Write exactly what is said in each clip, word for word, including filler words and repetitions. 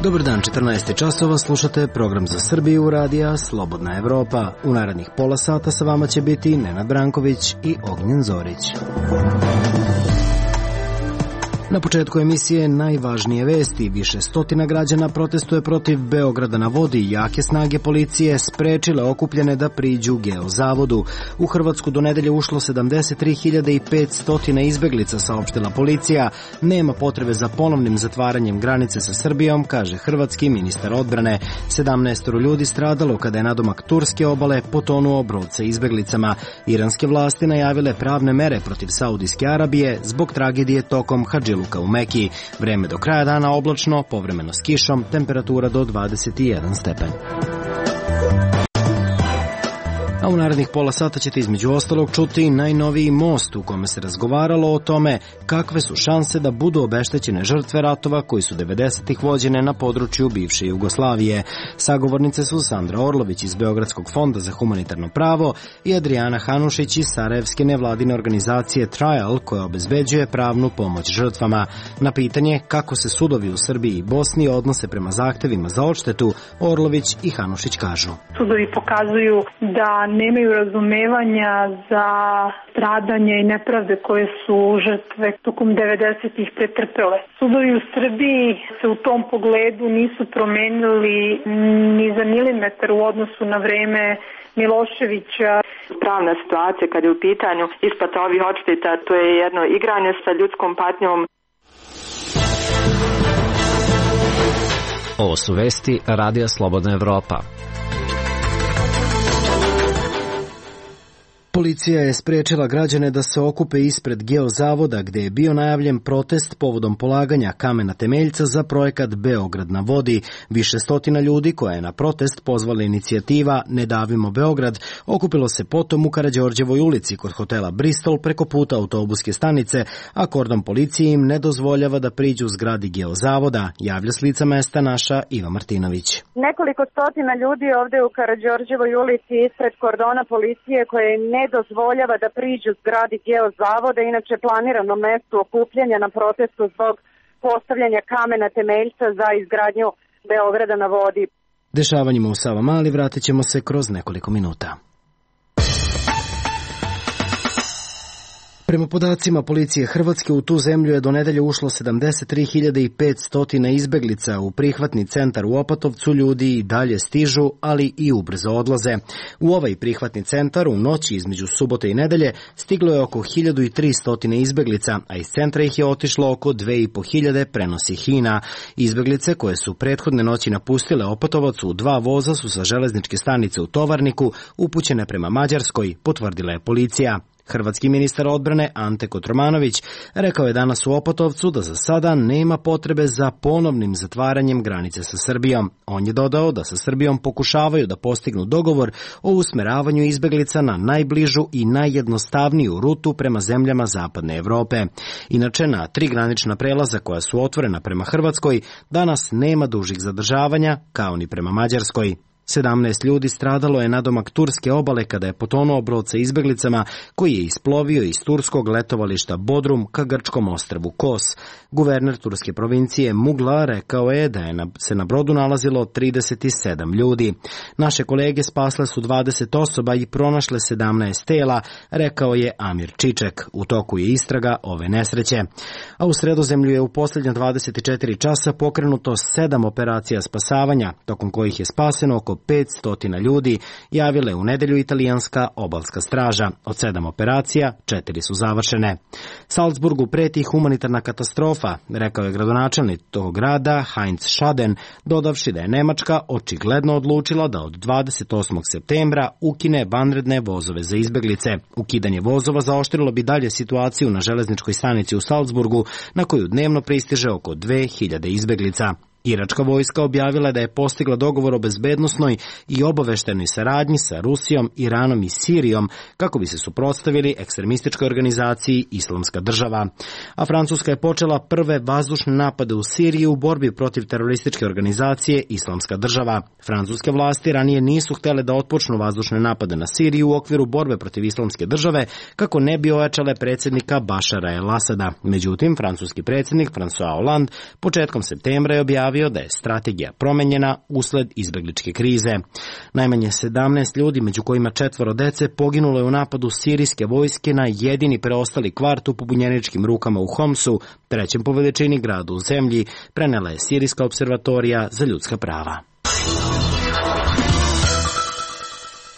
Dobar dan, četrnaest časova, slušate program za Srbiju radija Slobodna Evropa. U narednih pola sata sa vama će biti Nenad Branković i Ognjen Zorić. Na početku emisije najvažnije vesti. Više stotina građana protestuje protiv Beograda na vodi. Jake snage policije sprečile okupljene da priđu Geozavodu. U Hrvatsku do nedelje ušlo sedamdeset tri hiljade petsto izbeglica, saopštila policija. Nema potrebe za ponovnim zatvaranjem granice sa Srbijom, kaže hrvatski ministar odbrane. sedamnaest ljudi stradalo kada je nadomak turske obale potonuo brod sa izbeglicama. Iranske vlasti najavile pravne mere protiv Saudijske Arabije zbog tragedije tokom Hadžiluka u Meki. Vreme do kraja dana oblačno, povremeno s kišom, temperatura do dvadeset jedan stepen. A u narednih pola sata ćete između ostalog čuti najnoviji most u kome se razgovaralo o tome kakve su šanse da budu obeštećene žrtve ratova koji su devedesetih vođene na području bivše Jugoslavije. Sagovornice su Sandra Orlović iz Beogradskog fonda za humanitarno pravo i Adriana Hanušić iz sarajevske nevladine organizacije Trial, koja obezbeđuje pravnu pomoć žrtvama. Na pitanje kako se sudovi u Srbiji i Bosni odnose prema zahtevima za odštetu, Orlović i Hanušić kažu. Sudovi pokazuju da nemaju razumevanja za stradanje i nepravde koje su žrtve tokom devedesetih pretrpele. Sudovi u Srbiji se u tom pogledu nisu promenili ni za milimetar u odnosu na vreme Miloševića. Pravna situacija kad je u pitanju isplata ovih odšteta, to je jedno igranje sa ljudskom patnjom. Ovo su vesti Radija Slobodna Evropa. Policija je sprečila građane da se okupe ispred Geozavoda, gde je bio najavljen protest povodom polaganja kamena temeljca za projekat Beograd na vodi. Više stotina ljudi, koja je na protest pozvala inicijativa Ne davimo Beograd, okupilo se potom u Karađorđevoj ulici kod hotela Bristol preko puta autobuske stanice, a kordon policije im ne dozvoljava da priđu zgradi Geozavoda, javlja s lica mesta naša Iva Martinović. Nekoliko stotina ljudi ovde u Karađorđevoj ulici ispred kordona policije koje im ne dozvoljava da priđu zgradi Geozavoda, inače planirano mesto okupljanja na protestu zbog postavljanja kamena temeljca za izgradnju Beograda na vodi. Dešavanjima u Savamali vratit ćemo se kroz nekoliko minuta. Prema podacima policije Hrvatske, u tu zemlju je do nedelje ušlo sedamdeset tri hiljade petsto izbeglica. U prihvatni centar u Opatovcu ljudi i dalje stižu, ali i ubrzo odlaze. U ovaj prihvatni centar u noći između subote i nedelje stiglo je oko hiljadu tristo izbeglica, a iz centra ih je otišlo oko dve i po hiljade, prenosi Hina. Izbeglice koje su prethodne noći napustile Opatovac u dva voza su sa železničke stanice u Tovarniku upućene prema Mađarskoj, potvrdila je policija. Hrvatski ministar odbrane Ante Kotromanović rekao je danas u Opatovcu da za sada nema potrebe za ponovnim zatvaranjem granice sa Srbijom. On je dodao da sa Srbijom pokušavaju da postignu dogovor o usmeravanju izbeglica na najbližu i najjednostavniju rutu prema zemljama Zapadne Evrope. Inače, na tri granična prelaza koja su otvorena prema Hrvatskoj danas nema dužih zadržavanja, kao ni prema Mađarskoj. sedamnaest ljudi stradalo je nadomak turske obale kada je potonuo brod sa izbeglicama koji je isplovio iz turskog letovališta Bodrum ka grčkom ostrvu Kos. Guverner turske provincije Mugla rekao je da je na, se na brodu nalazilo trideset sedam ljudi. Naše kolege spasle su dvadeset osoba i pronašle sedamnaest tela, rekao je Amir Čiček. U toku je istraga ove nesreće. A u Sredozemlju je u posljednja dvadeset četiri časa pokrenuto sedam operacija spasavanja, tokom kojih je spaseno oko petsto ljudi, javile u nedelju italijanska obalska straža. Od sedam operacija, četiri su završene. Salzburgu preti humanitarna katastrofa, rekao je gradonačelnik tog grada Heinz Schaden, dodavši da je Nemačka očigledno odlučila da od dvadeset osmog septembra ukine vanredne vozove za izbeglice. Ukidanje vozova zaoštrilo bi dalje situaciju na železničkoj stanici u Salzburgu, na koju dnevno pristiže oko dve hiljade izbeglica. Iračka vojska objavila da je postigla dogovor o bezbednosnoj i obaveštenoj saradnji sa Rusijom, Iranom i Sirijom kako bi se suprotstavili ekstremističkoj organizaciji Islamska država. A Francuska je počela prve vazdušne napade u Siriji u borbi protiv terorističke organizacije Islamska država. Francuske vlasti ranije nisu htjele da otpočnu vazdušne napade na Siriju u okviru borbe protiv Islamske države kako ne bi ojačale predsjednika Bašara el-Asada. Međutim, francuski predsjednik François Hollande početkom septembra je objavio izjavio da je strategija promenjena usled izbegličke krize. Najmanje sedamnaest ljudi, među kojima četvoro dece, poginulo je u napadu sirijske vojske na jedini preostali kvart u pobunjeničkim rukama u Homsu, trećem po veličini gradu u zemlji, prenela je Sirijska observatorija za ljudska prava.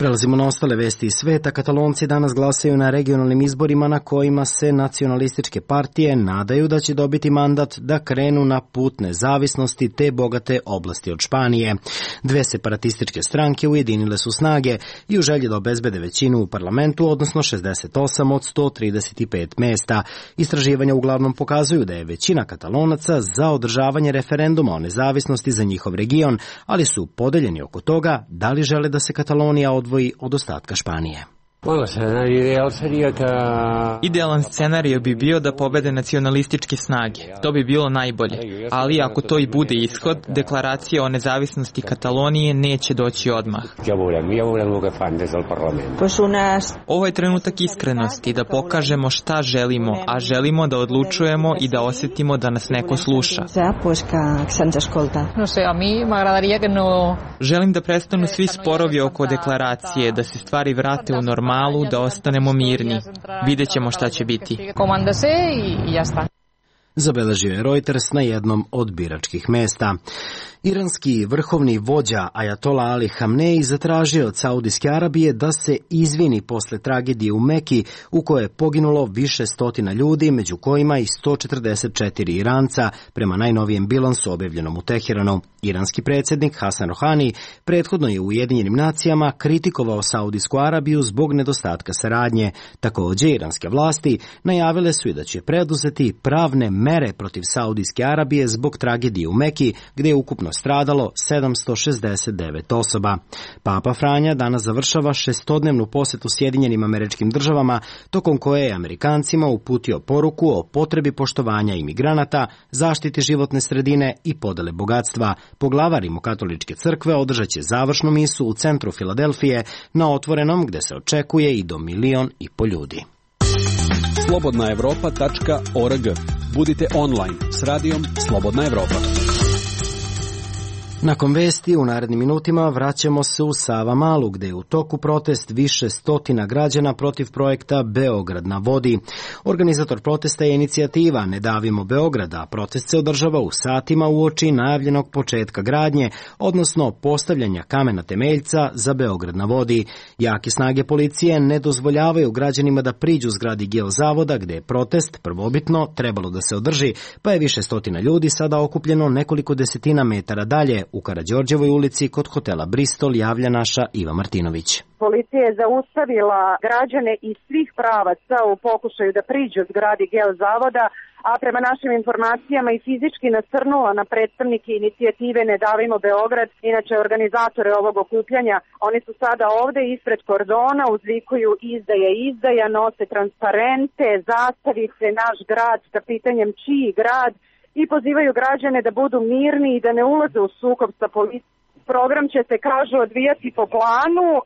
Prelazimo na ostale vesti iz sveta. Katalonci danas glasaju na regionalnim izborima na kojima se nacionalističke partije nadaju da će dobiti mandat da krenu na put nezavisnosti te bogate oblasti od Španije. Dve separatističke stranke ujedinile su snage i u želji da obezbede većinu u parlamentu, odnosno šezdeset osam od sto trideset pet mesta. Istraživanja uglavnom pokazuju da je većina Katalonaca za održavanje referenduma o nezavisnosti za njihov region, ali su podeljeni oko toga da li žele da se Katalonija odvoji od ostatka Španije. Idealan scenario bi bio da pobede nacionalističke snage. To bi bilo najbolje. Ali ako to i bude ishod, deklaracija o nezavisnosti Katalonije neće doći odmah. Ovo je trenutak iskrenosti, da pokažemo šta želimo, a želimo da odlučujemo i da osetimo da nas neko sluša. Želim da prestanu svi sporovi oko deklaracije, da se stvari vrate u normalu, da ostanemo mirni. Vidjet ćemo šta će biti. Zabeležio je Reuters na jednom od biračkih mesta. Iranski vrhovni vođa Ajatola Ali Hamneji zatražio od Saudijske Arabije da se izvini posle tragedije u Meki u kojoj je poginulo više stotina ljudi, među kojima i sto četrdeset četiri Iranca, prema najnovijem bilansu objavljenom u Teheranu. Iranski predsjednik Hasan Rohani prethodno je u Ujedinjenim nacijama kritikovao Saudijsku Arabiju zbog nedostatka saradnje. Također, iranske vlasti najavile su i da će preduzeti pravne mere protiv Saudijske Arabije zbog tragedije u Meki, gdje je ukupno stradalo sedamsto šezdeset devet osoba. Papa Franja danas završava šestodnevnu posetu Sjedinjenim Američkim Državama, tokom koje je Amerikancima uputio poruku o potrebi poštovanja imigranata, zaštiti životne sredine i podele bogatstva. Poglavar Rimokatoličke crkve održat će završnu misu u centru Filadelfije na otvorenom, gde se očekuje i do milion i po ljudi. slobodna evropa tačka org. Budite online s radijom Slobodna Evropa. Nakon vesti u narednim minutima vraćamo se u Savamalu, gde je u toku protest više stotina građana protiv projekta Beograd na vodi. Organizator protesta je inicijativa Ne davimo Beograd, a protest se održava u satima uoči najavljenog početka gradnje, odnosno postavljanja kamena temeljca za Beograd na vodi. Jake snage policije ne dozvoljavaju građanima da priđu zgradi Geozavoda, gde je protest prvobitno trebalo da se održi, pa je više stotina ljudi sada okupljeno nekoliko desetina metara dalje, u Karađorđevoj ulici kod hotela Bristol, javlja naša Iva Martinović. Policija je zaustavila građane iz svih pravaca u pokušaju da priđu zgradi Geozavoda, a prema našim informacijama i fizički nasrnula na predstavnike inicijative Ne davimo Beograd, inače organizatore ovog okupljanja. Oni su sada ovde ispred kordona, uzvikuju izdaja, izdaja, nose transparente, zastavice, naš grad sa pitanjem čiji grad, i pozivaju građane da budu mirni i da ne ulaze u sukob sa policijom. Program će se, kažu, odvijati po planu, e,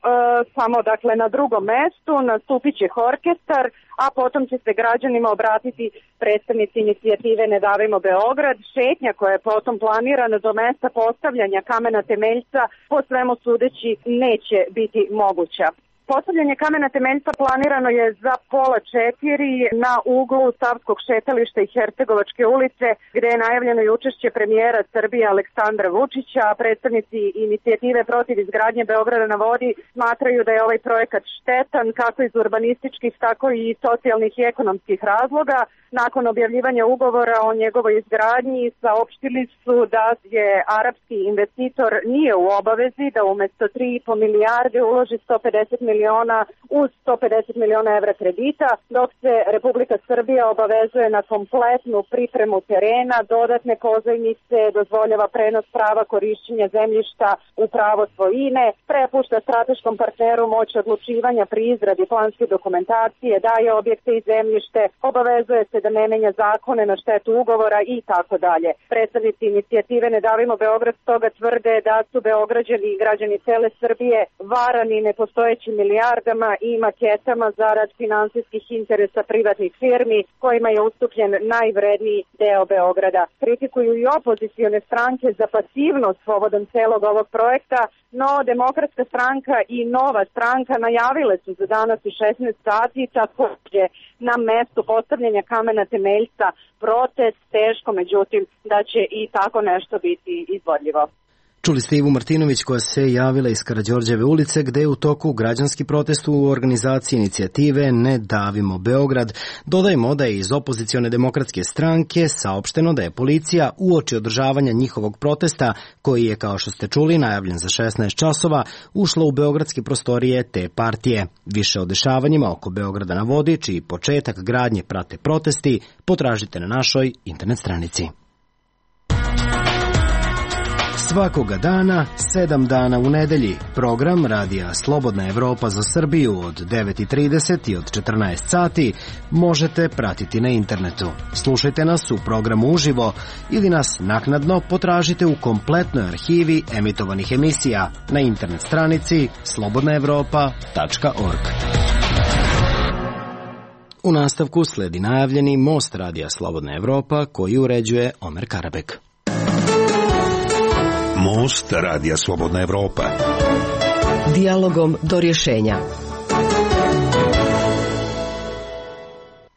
samo dakle na drugom mestu, nastupit će orkestar, a potom će se građanima obratiti predstavnici inicijative Ne davimo Beograd. Šetnja koja je potom planirana do mesta postavljanja kamena temeljca po svemu sudeći neće biti moguća. Postavljanje kamena temeljca planirano je za pola četiri na uglu Savskog šetališta i Hercegovačke ulice, gde je najavljeno i učešće premijera Srbije Aleksandra Vučića, a predstavnici inicijative protiv izgradnje Beograda na vodi smatraju da je ovaj projekat štetan kako iz urbanističkih, tako i socijalnih i ekonomskih razloga. Nakon objavljivanja ugovora o njegovoj izgradnji saopštili su da je arapski investitor nije u obavezi da umesto tri i po milijarde uloži sto pedeset miliona uz sto pedeset miliona evra kredita, dok se Republika Srbija obavezuje na kompletnu pripremu terena, dodatne pozajmice, dozvoljava prenos prava korišćenja zemljišta u pravo svojine, prepušta strateškom partneru moć odlučivanja pri izradi planske dokumentacije, daje objekte i zemljište, obavezuje se da ne menja zakone na štetu ugovora i tako dalje. Predstavnici inicijative Ne davimo Beograd stoga tvrde da su Beograđani i građani cele Srbije varani nepostojećim milijardama i maketama zarad finansijskih interesa privatnih firmi kojima je ustupljen najvredniji deo Beograda. Kritikuju i opozicione stranke za pasivnost povodom celog ovog projekta, no Demokratska stranka i Nova stranka najavile su za danas u šesnaest sati takođe na mestu postavljanja kamena temeljca protest, teško međutim da će i tako nešto biti izvodljivo. Čuli ste Ivu Martinović koja se javila iz Karađorđeve ulice gde je u toku građanski protest u organizaciji inicijative Ne davimo Beograd. Dodajmo da je iz opozicione demokratske stranke saopšteno da je policija uoči održavanja njihovog protesta, koji je, kao što ste čuli, najavljen za šesnaest časova, ušla u beogradske prostorije te partije. Više o dešavanjima oko Beograda na vodi, čiji početak gradnje prate protesti, potražite na našoj internet stranici. Svakoga dana, sedam dana u nedelji, program Radija Slobodna Evropa za Srbiju od devet i trideset i od četrnaest sati možete pratiti na internetu. Slušajte nas u programu uživo ili nas naknadno potražite u kompletnoj arhivi emitovanih emisija na internet stranici slobodna evropa tačka org. U nastavku sledi najavljeni most Radija Slobodna Evropa koji uređuje Omer Karabek. Most Radija Slobodna Evropa. Dijalogom do rješenja.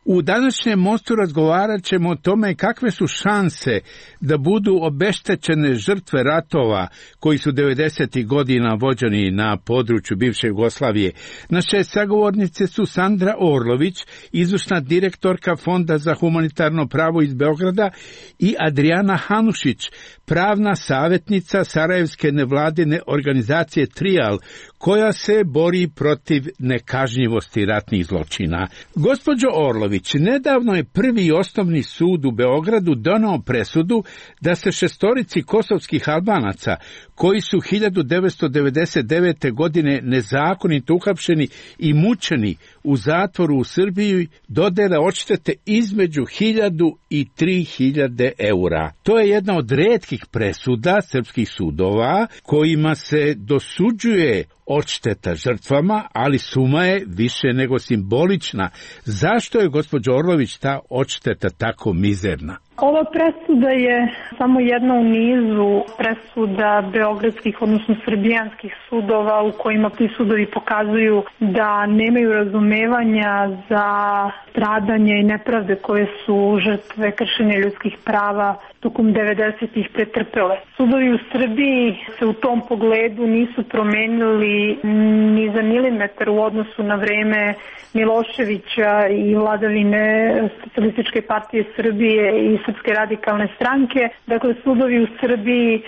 U današnjem mostu razgovarat ćemo o tome kakve su šanse da budu obeštećene žrtve ratova koji su devedesetih godina vođeni na području bivše Jugoslavije. Naše sagovornice su Sandra Orlović, izvršna direktorka Fonda za humanitarno pravo iz Beograda, i Adriana Hanušić, pravna savjetnica Sarajevske nevladine organizacije Trijal, koja se bori protiv nekažnjivosti ratnih zločina. Gospođo Orlović, nedavno je prvi osnovni sud u Beogradu donao presudu da se šestorici kosovskih Albanaca, koji su hiljadu devetsto devedeset devete. godine nezakonito uhapšeni i mučeni u zatvoru u Srbiji, dodele odštete između hiljadu i tri hiljade eura. To je jedna od retkih presuda srpskih sudova kojima se dosuđuje odšteta žrtvama, ali suma je više nego simbolična. Zašto je, gospođo Orlović, ta odšteta tako mizerna? Ova presuda je samo jedna u nizu presuda beogradskih, odnosno srbijanskih sudova u kojima ti sudovi pokazuju da nemaju razumevanja za stradanje i nepravde koje su žrtve kršenja ljudskih prava tokom devedesetih pretrpele. Sudovi u Srbiji se u tom pogledu nisu promenili ni za milimetar u odnosu na vreme Miloševića i vladavine Socijalističke partije Srbije i Srpske radikalne stranke. Dakle, sudovi u Srbiji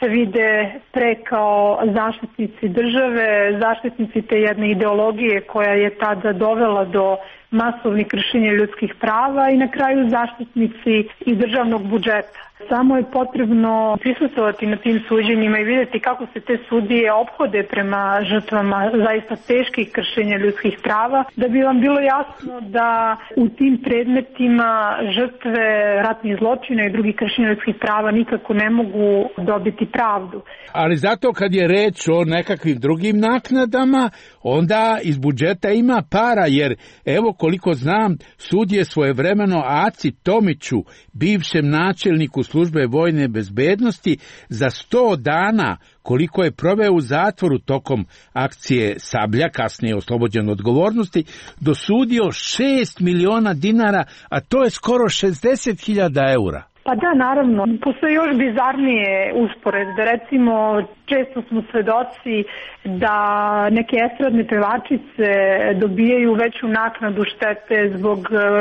se vide pre kao zaštitnici države, zaštitnici te jedne ideologije koja je tada dovela do masovnih kršenja ljudskih prava i na kraju zaštitnici i državnog budžeta. Samo je potrebno prisustvovati na tim suđenjima i vidjeti kako se te sudije ophode prema žrtvama zaista teških kršenja ljudskih prava, da bi vam bilo jasno da u tim predmetima žrtve ratnih zločina i drugih kršenja ljudskih prava nikako ne mogu dobiti pravdu. Ali zato kad je reč o nekakvim drugim naknadama, onda iz budžeta ima para, jer evo koliko znam, sud je svojevremeno Aci Tomiću, bivšem načelniku službe vojne bezbednosti, za sto dana, koliko je proveo u zatvoru tokom akcije Sablja, kasnije oslobođen odgovornosti, dosudio šest miliona dinara, a to je skoro šezdeset hiljada eura. Pa da, naravno. Postoje još bizarnije usporedbe. Recimo, često smo svedoci da neke estradne pevačice dobijaju veću naknadu štete zbog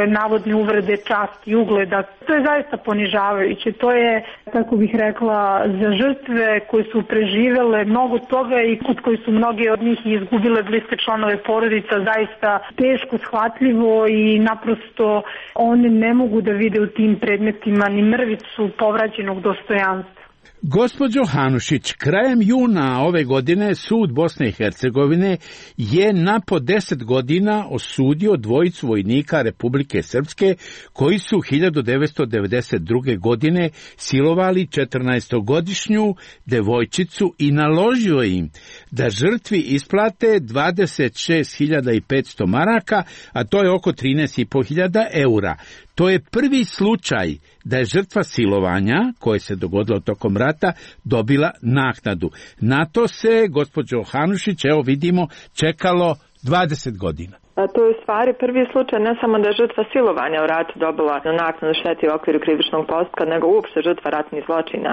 navodne uvrede časti i ugleda. To je zaista ponižavajuće. To je, tako bih rekla, za žrtve koje su preživele mnogo toga i kod koji su mnoge od njih izgubile bliske članove porodica, zaista teško shvatljivo i naprosto one ne mogu da vide u tim predmetima ni mrvicu povraćenog dostojanstva. Gospođo Hanušić, krajem juna ove godine sud Bosne i Hercegovine je na po deset godina osudio dvojicu vojnika Republike Srpske koji su hiljadu devetsto devedeset druge. godine silovali četrnaestogodišnju devojčicu i naložio im da žrtvi isplate dvadeset šest hiljada petsto maraka, a to je oko trinaest hiljada petsto eura. To je prvi slučaj da je žrtva silovanja, koje se dogodilo tokom rata, dobila naknadu. Na to se, gospođo Hanušić, evo vidimo, čekalo dvadeset godina. A to je u stvari prvi slučaj ne samo da je žrtva silovanja u ratu dobila naknadu štete u okviru krivičnog postupka, nego uopšte žrtva ratnih zločina.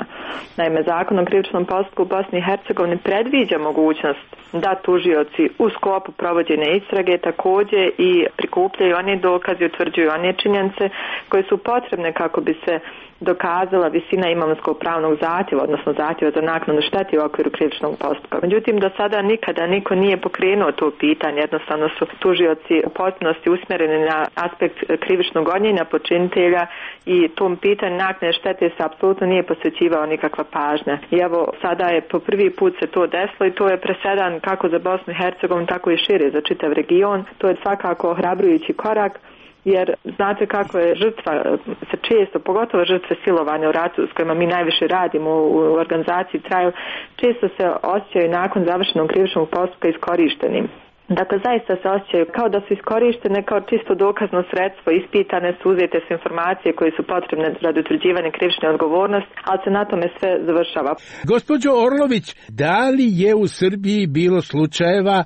Naime, Zakon o krivičnom postupku u Bosni i Hercegovini predviđa mogućnost da tužioci u sklopu provođenja istrage također i prikupljaju one dokaze i utvrđuju one činjenice koje su potrebne kako bi se dokazala visina imovinskog pravnog zahtjeva, odnosno zahtjeva za naknadu štete u okviru krivičnog postupka. Međutim, do sada nikada niko nije pokrenuo to pitanje, jednostavno su tužioci u potpunosti usmjereni na aspekt krivičnog gonjenja počinitelja i tom pitanju naknade štete se apsolutno nije posvećivao nikakva pažnja. I evo, sada je po prvi put se to desilo i to je presedan kako za Bosnu i Hercegovinu, tako i šire za čitav region. To je svakako ohrabrujući korak, jer znate kako je žrtva se često, pogotovo žrtve silovanja u ratu s kojima mi najviše radimo u organizaciji Traju, često se osjećaju nakon završenog krivičnog postupka iskorištenim. Dakle, zaista se osjećaju kao da su iskorištene kao čisto dokazno sredstvo, ispitane su, uzete su informacije koje su potrebne radi utvrđivanja krivične odgovornosti, ali se na tome sve završava. Gospođo Orlović, da li je u Srbiji bilo slučajeva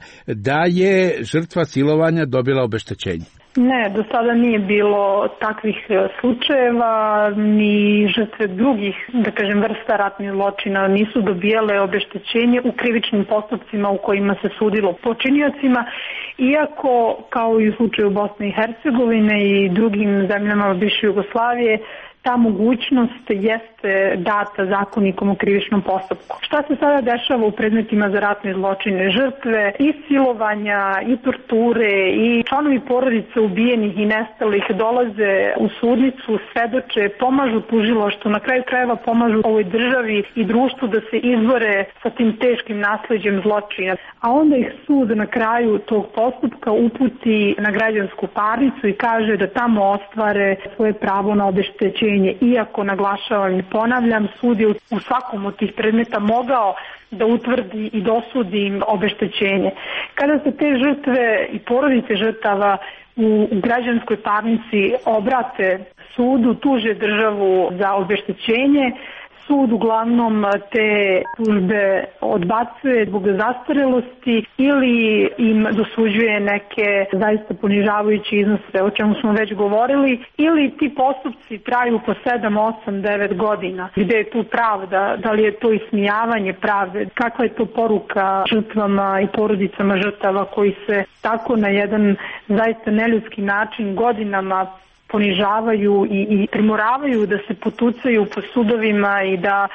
da je žrtva silovanja dobila obeštećenje? Ne, do sada nije bilo takvih slučajeva, ni žrtve drugih, da kažem, vrsta ratnih zločina nisu dobijale obeštećenje u krivičnim postupcima u kojima se sudilo počiniocima, iako, kao i u slučaju Bosne i Hercegovine i drugim zemljama bivše Jugoslavije, ta mogućnost jeste data zakonikom o krivičnom postupku. Šta se sada dešava u predmetima za ratne zločine? Žrtve i silovanja, i torture, i članovi porodice ubijenih i nestalih dolaze u sudnicu, svedoče, pomažu tužilaštvu, na kraju krajeva pomažu ovoj državi i društvu da se izbore sa tim teškim nasleđem zločina. A onda ih sud na kraju tog postupka uputi na građansku parnicu i kaže da tamo ostvare svoje pravo na obeštećenje. Iako, naglašavam i ponavljam, sud je u svakom od tih predmeta mogao da utvrdi i dosudi obeštećenje. Kada se te žrtve i porodice žrtava u građanskoj parnici obrate sudu, tuže državu za obeštećenje, sud uglavnom te tužbe odbacuje zbog zastarelosti ili im dosuđuje neke zaista ponižavajuće iznose, o čemu smo već govorili, ili ti postupci traju po sedam, osam, devet godina. Gde je tu pravda? Da li je to ismijavanje pravde? Kakva je to poruka žrtvama i porodicama žrtava koji se tako na jedan zaista neljudski način godinama ponižavaju i, i primoravaju da se potucaju po sudovima i da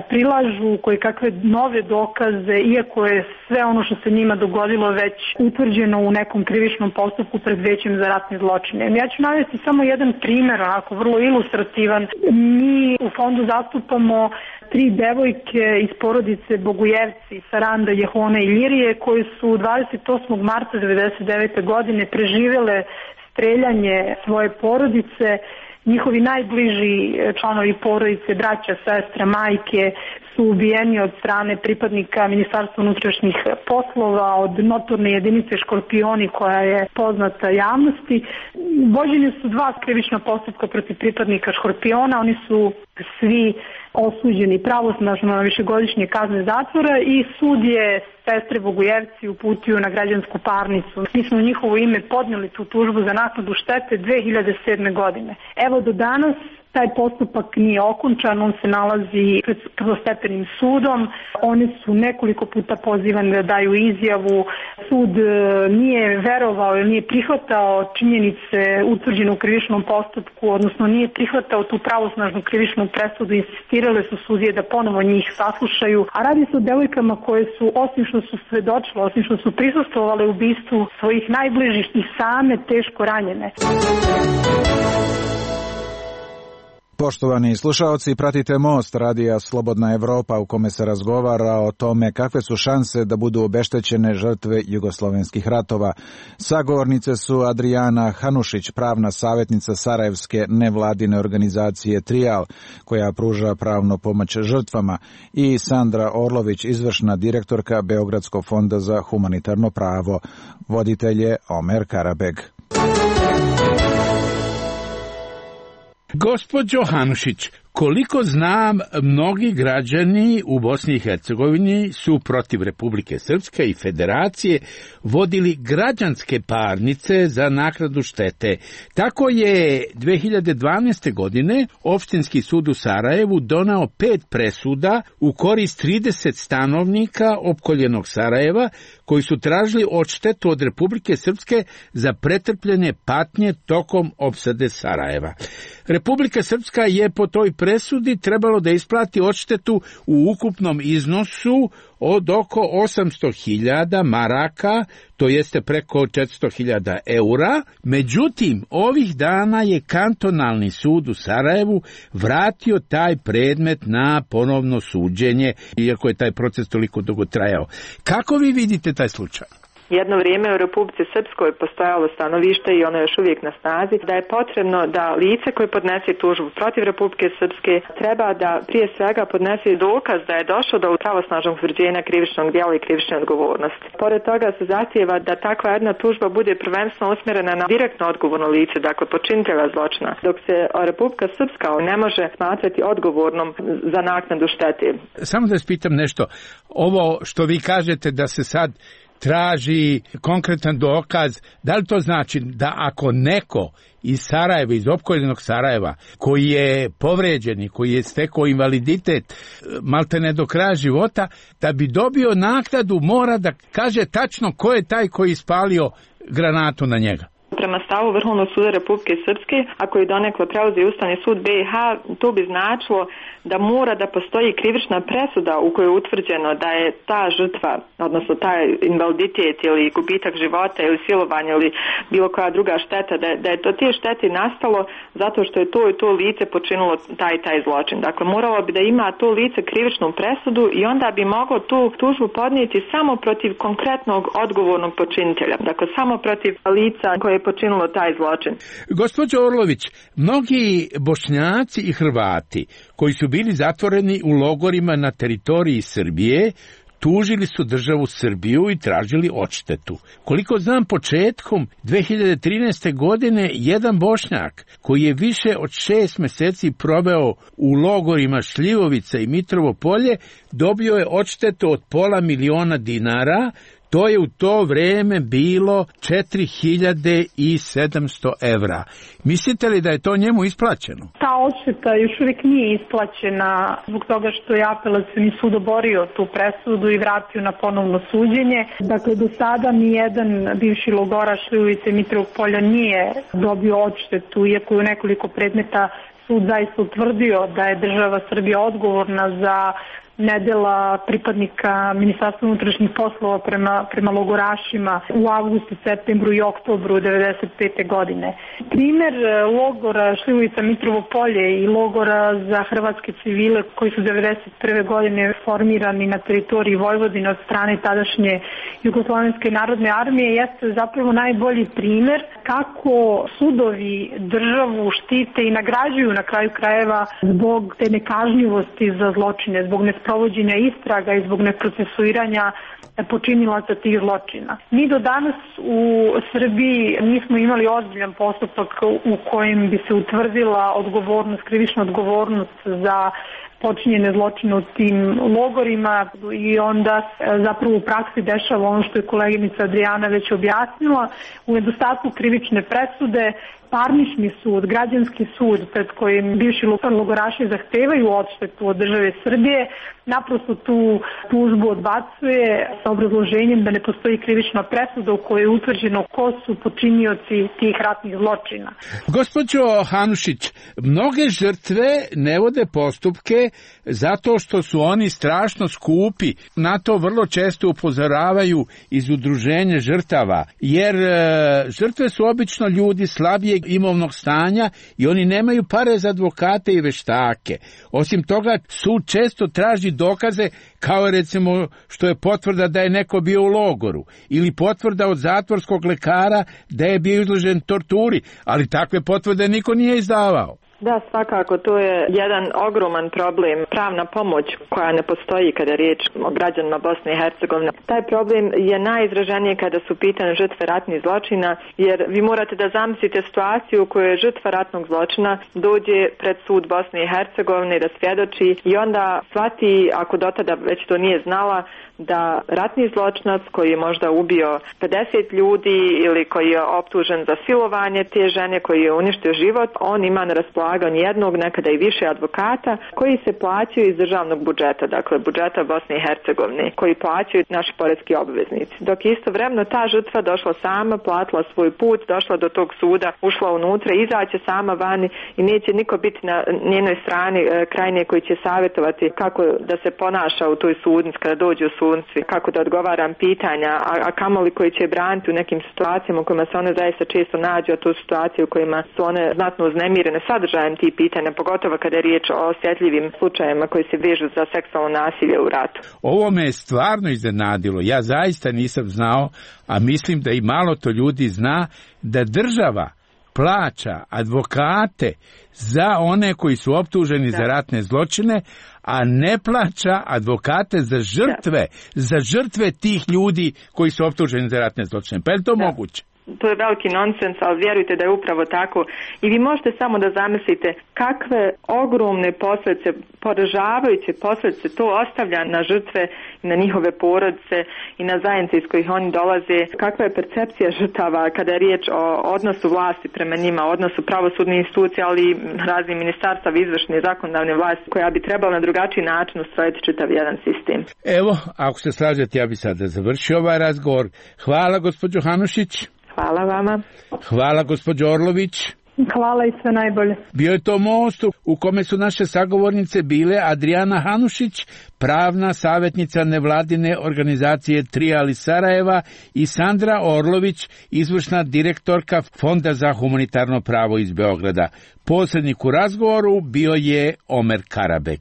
prilažu koje kakve nove dokaze, iako je sve ono što se njima dogodilo već utvrđeno u nekom krivičnom postupku pred većem za ratne zločine. Ja ću navesti samo jedan primjer, onako vrlo ilustrativan. Mi u fondu zastupamo tri devojke iz porodice Bogujevci, Saranda, Jehone i Ljirije, koje su dvadeset osmog marta devedeset devete. godine preživele streljanje svoje porodice. Njihovi najbliži članovi porodice, braća, sestra, majke su ubijeni od strane pripadnika Ministarstva unutrašnjih poslova, od notorne jedinice Škorpioni koja je poznata javnosti. Vođeni su dva krivična postupka protiv pripadnika Škorpiona, oni su svi osuđeni pravosnažno na višegodišnje kazne zatvora i sud je sestre Bogujevci uputio na građansku parnicu. Mi smo u njihovo ime podnijeli tu tužbu za naknadu štete dve hiljade sedme. godine. Evo do danas taj postupak nije okončan, on se nalazi pred prvostepenim sudom. Oni su nekoliko puta pozivani da daju izjavu. Sud nije verovao ili nije prihvatao činjenice utvrđene u krivičnom postupku, odnosno nije prihvatao tu pravosnažnu krivičnu presudu. Insistirale su sudije da ponovo njih saslušaju. A radi se o devojkama koje su, osim što su svedočile, osim što su prisustvovale ubistvu svojih najbližih, i same teško ranjene. Poštovani slušaoci, pratite Most radija Slobodna Evropa u kome se razgovara o tome kakve su šanse da budu obeštećene žrtve jugoslovenskih ratova. Sagovornice su Adrijana Hanušić, pravna savjetnica sarajevske nevladine organizacije Trijal, koja pruža pravnu pomoć žrtvama, i Sandra Orlović, izvršna direktorka Beogradskog fonda za humanitarno pravo. Voditelj je Omer Karabeg. Gospođo Hanušić, koliko znam, mnogi građani u Bosni i Hercegovini su protiv Republike Srpske i Federacije vodili građanske parnice za naknadu štete. Tako je dve hiljade dvanaeste. godine Opštinski sud u Sarajevu donao pet presuda u korist trideset stanovnika opkoljenog Sarajeva koji su tražili odštetu od Republike Srpske za pretrpljene patnje tokom opsade Sarajeva. Republika Srpska je po toj presudi trebalo da isplati odštetu u ukupnom iznosu od oko osamsto hiljada maraka, to jeste preko četiristo hiljada eura. Međutim, ovih dana je kantonalni sud u Sarajevu vratio taj predmet na ponovno suđenje, iako je taj proces toliko dugo trajao. Kako vi vidite taj slučaj? Jedno vrijeme u Republici Srpskoj postojalo stanovište i ono je još uvijek na snazi da je potrebno da lice koje podnese tužbu protiv Republike Srpske treba da prije svega podnese dokaz da je došlo do pravosnažnog utvrđenja krivičnog djela i krivične odgovornosti. Pored toga se zahtijeva da takva jedna tužba bude prvenstveno usmjerena na direktno odgovorno lice, dakle počinitelja zločina, dok se Republika Srpska ne može smatrati odgovornom za naknadu štete. Samo da vas pitam nešto, ovo što vi kažete da se sad traži konkretan dokaz, da li to znači da ako neko iz Sarajeva, iz opkoljenog Sarajeva, koji je povređen i koji je stekao invaliditet maltene do kraja života, da bi dobio naknadu mora da kaže tačno ko je taj koji je ispalio granatu na njega? Prema stavu Vrhovnog suda Republike Srpske, ako je donekle preuzeo Ustavni sud B iH, to bi značilo da mora da postoji krivična presuda u kojoj je utvrđeno da je ta žrtva, odnosno taj invaliditet ili gubitak života ili silovanje ili bilo koja druga šteta, da je, da je to te štete nastalo zato što je to i to lice počinilo taj taj zločin. Dakle, moralo bi da ima to lice krivičnu presudu i onda bi moglo tu tužbu podnijeti samo protiv konkretnog odgovornog počinitelja. Dakle, samo protiv lica koje je počinilo taj zločin. Gospođo Orlović, mnogi Bošnjaci i Hrvati koji su bili zatvoreni u logorima na teritoriji Srbije tužili su državu Srbiju i tražili odštetu. Koliko znam, početkom dve hiljade trinaeste. godine jedan Bošnjak koji je više od šest meseci proveo u logorima Šljivovica i Mitrovo Polje dobio je odštetu od pola miliona dinara. To je u to vreme bilo četiri hiljade sedamsto evra. Mislite li da je to njemu isplaćeno? Ta odšteta još uvijek nije isplaćena zbog toga što je apelacioni sud oborio tu presudu i vratio na ponovno suđenje. Dakle, do sada nijedan bivši logoraš Šljivovice i Mitrovog Polja nije dobio odštetu, iako je u nekoliko predmeta sud zaista utvrdio da je država Srbija odgovorna za nedjela pripadnika Ministarstva unutrašnjih poslova prema, prema logorašima u avgustu, septembru i oktobru devedeset pete. godine. Primjer logora Šljivovica Mitrovo Polje i logora za hrvatske civile koji su devedeset prve. godine formirani na teritoriji Vojvodine od strane tadašnje Jugoslovenske narodne armije jeste zapravo najbolji primjer kako sudovi državu štite i nagrađuju na kraju krajeva zbog te nekažnjivosti za zločine, zbog nesprovođenja istraga i zbog neprocesuiranja počinilaca tih zločina. Mi do danas u Srbiji nismo imali ozbiljan postupak u kojem bi se utvrdila odgovornost, krivična odgovornost za počinjene zločine u tim logorima i onda zapravo u praksi dešava ono što je koleginica Adrijana već objasnila. U nedostatku krivične presude parnični sud, građanski sud pred kojim bivši logoraši zahtevaju odštetu od države Srbije naprosto tu tužbu odbacuje sa obrazloženjem da ne postoji krivična presuda u kojoj je utvrđeno ko su počinioci tih ratnih zločina. Gospođo Hanušić, mnoge žrtve ne vode postupke zato što su oni strašno skupi. Na to vrlo često upozoravaju iz udruženja žrtava, jer e, žrtve su obično ljudi slabijeg imovnog stanja i oni nemaju pare za advokate i veštake. Osim toga, sud često traži dokaze, kao recimo što je potvrda da je neko bio u logoru ili potvrda od zatvorskog lekara da je bio izložen torturi, ali takve potvrde niko nije izdavao. Da, svakako, to je jedan ogroman problem. Pravna pomoć koja ne postoji kada je riječ o građanima Bosne i Hercegovine. Taj problem je najizraženiji kada su pitane žrtve ratnih zločina, jer vi morate da zamislite situaciju u kojoj žrtva ratnog zločina dođe pred sud Bosne i Hercegovine da svjedoči i onda shvati, ako do tada već to nije znala, da ratni zločinac koji je možda ubio pedeset ljudi ili koji je optužen za silovanje te žene, koji je uništio život, on ima na raspolaganju jednog, nekada i više advokata koji se plaćaju iz državnog budžeta, dakle budžeta Bosne i Hercegovine, koji plaćaju naši poreski obveznici. Dok istovremeno ta žrtva došla sama, platila svoj put, došla do tog suda, ušla unutra, izaće sama vani i neće niko biti na njenoj strani kraj nje koji će savjetovati kako da se ponaša u toj sudnici kada dođe u sudnici, kako da odgovaram pitanja, a, a kamoli koji će braniti u nekim situacijama u kojima se one zaista često nađu, a to su situacije u kojima su one znatno uznemirene sadržajem tih pitanja, pogotovo kada je riječ o osjetljivim slučajevima koji se vežu za seksualno nasilje u ratu. Ovo me je stvarno iznenadilo. Ja zaista nisam znao, a mislim da i malo to ljudi zna, da država plaća advokate za one koji su optuženi da. za ratne zločine, a ne plaća advokate za žrtve, da. za žrtve tih ljudi koji su optuženi za ratne zločine. Pa je to da. moguće? To je veliki nonsens, ali vjerujte da je upravo tako. I vi možete samo da zamislite kakve ogromne posljedice, poražavajuće posljedice to ostavlja na žrtve i na njihove porodice i na zajednice iz kojih oni dolaze. Kakva je percepcija žrtava kada je riječ o odnosu vlasti prema njima, odnosu pravosudnih institucija, ali i raznih ministarstava, izvršne i zakonodavne vlasti, koja bi trebala na drugačiji način ustrojiti čitav jedan sistem. Evo, ako se slažete, ja bi sada završio ovaj razgovor. Hvala, gospođo Hanušić. Hvala vama. Hvala, gospođo Orlović. Hvala i sve najbolje. Bio je to most u kome su naše sagovornice bile Adrijana Hanušić, pravna savjetnica nevladine organizacije Trijal iz Sarajeva, i Sandra Orlović, izvršna direktorka Fonda za humanitarno pravo iz Beograda. Posrednik u razgovoru bio je Omer Karabek.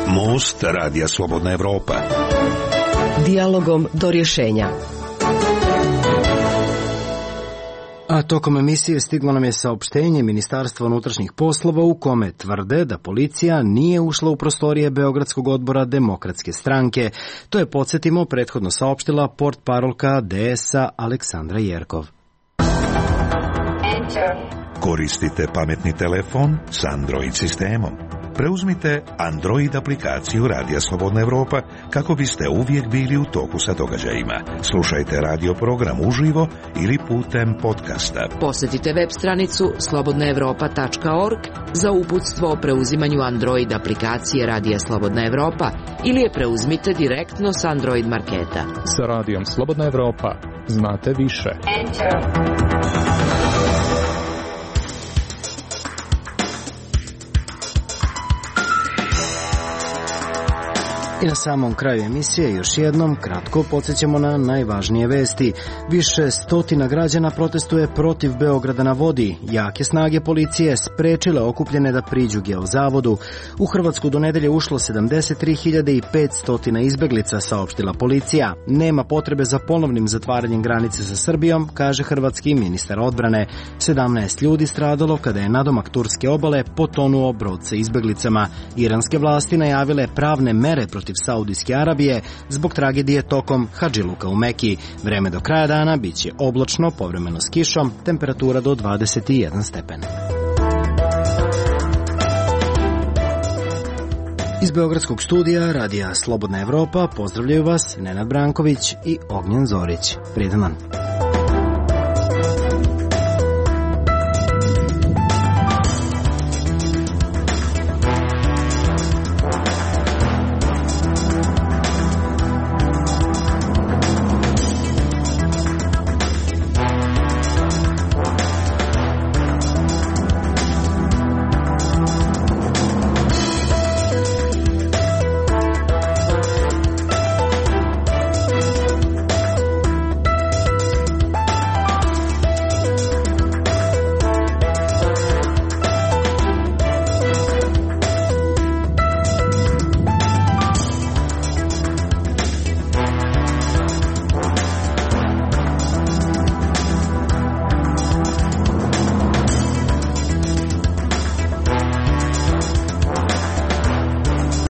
Most Radija Slobodna Evropa. Dijalogom do rješenja. A tokom emisije stiglo nam je saopštenje Ministarstva unutrašnjih poslova u kome tvrde da policija nije ušla u prostorije Beogradskog odbora Demokratske stranke. To je, podsjetimo, prethodno saopštila portparolka D S-a Aleksandra Jerkov. Koristite pametni telefon s Android sistemom. Preuzmite Android aplikaciju Radija Slobodna Evropa kako biste uvijek bili u toku sa događajima. Slušajte radio program uživo ili putem podcasta. Posjetite web stranicu slobodna evropa tačka org za uputstvo o preuzimanju Android aplikacije Radija Slobodna Evropa ili je preuzmite direktno s Android marketa. Sa Radijom Slobodna Evropa znate više. Enter. I na samom kraju emisije još jednom kratko podsjećamo na najvažnije vesti. Više stotina građana protestuje protiv Beograda na vodi. Jake snage policije sprečile okupljene da priđu Geozavodu. U Hrvatsku do nedelje ušlo sedamdeset tri hiljade petsto izbeglica, saopštila policija. Nema potrebe za ponovnim zatvaranjem granice sa Srbijom, kaže hrvatski ministar odbrane. sedamnaest ljudi stradalo kada je nadomak turske obale potonuo brod sa izbeglicama. Iranske vlasti najavile pravne mere protiv Saudijske Arabije zbog tragedije tokom Hadžiluka u Meki. Vreme do kraja dana bit će oblačno, povremeno s kišom, temperatura do dvadeset jedan stepen. Iz Beogradskog studija Radija Slobodna Evropa pozdravljaju vas Nenad Branković i Ognjen Zorić. Prijedan dan.